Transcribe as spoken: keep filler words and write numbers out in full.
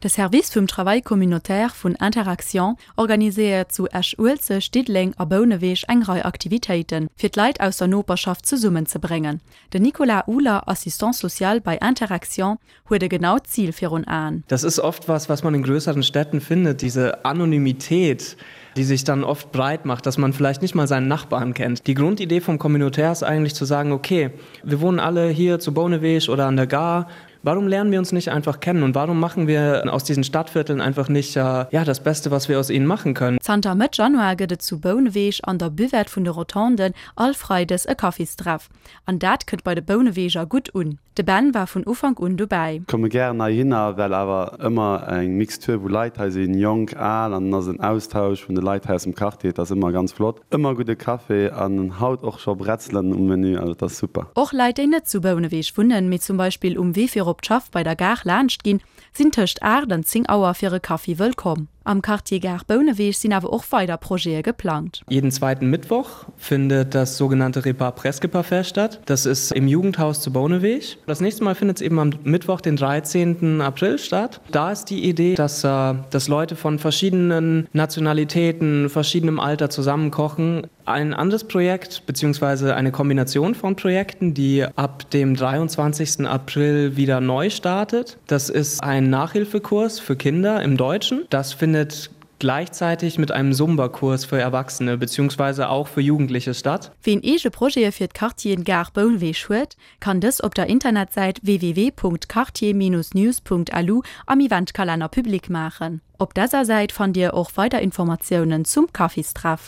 De Service vum Travail communautaire vun Inter-Actions organiséiert zu Esch-Uelzecht, Diddeleng a Bouneweg eng Rei Aktivitéiten, fir d'Leit aus der Noperschaft zesummenzebréngen. Den Nicolas Uhler, Assistant social bei Inter-Actions, huet e genaut Zil virun Aen. Das ist oft was, was man in größeren Städten findet, diese Anonymität, die sich dann oft breit macht, dass man vielleicht nicht mal seinen Nachbarn kennt. Die Grundidee vom Communautaire ist eigentlich zu sagen, okay, wir wohnen alle hier zu Bouneweg oder an der Gare. Warum lernen wir uns nicht einfach kennen und warum machen wir aus diesen Stadtvierteln einfach nicht äh, ja, das Beste, was wir aus ihnen machen können? Zanter Mëtt Januar gëtt et zu Bouneweg an der Buvette vun de Rotonden all Freides e Kaffistreff. An dat kënnt bei de Bouneweger gutt un. De Ben war vun Ufank un dobäi. Komme gären heihinner, well awer ëmmer eng Mixtur vu Leit hei sinn, jonk, al, an dann ass en Austausch vun de Leit hei aus dem Quartier, dat ass ëmmer ganz flott. Ëmmer gudde Café an haut och scho Bretzelen um Menü, also dat ass super. Och Leit, déi net zu Bouneweg wunnen, mee zum Beispill um Wee fir op d'Schaff bei der Gare laanscht ginn, sinn tëscht aacht an zéng Auer fir e Kaffi wëllkomm. Am Quartier Gare Bouneweg sinn awer och weider Projete geplangt. Jeden zweiten Mittwoch findet das sogenannte Repas presque parfait statt. Das ist im Jugendhaus zu Bouneweg. Das nächste Mal findet es eben am Mittwoch, den dreizehnten April statt. Da ist die Idee, dass, äh, dass Leute von verschiedenen Nationalitäten, verschiedenem Alter zusammen kochen. Ein anderes Projekt beziehungsweise eine Kombination von Projekten, die ab dem dreiundzwanzigsten April wieder neu startet. Das ist ein Nachhilfekurs für Kinder im Deutschen. Das findet gleichzeitig mit einem Zumba-Kurs für Erwachsene beziehungsweise auch für Jugendliche statt. Wien eege Projete fir d'Quartieren Gare Bouneweg huet, kann dës op der Internetsäit w w w punkt quartier Bindestrich news punkt l u am Eventkalenner public maachen. Op dëser Säit fannt Dir och weider Informatiounen zum Kaffistreff.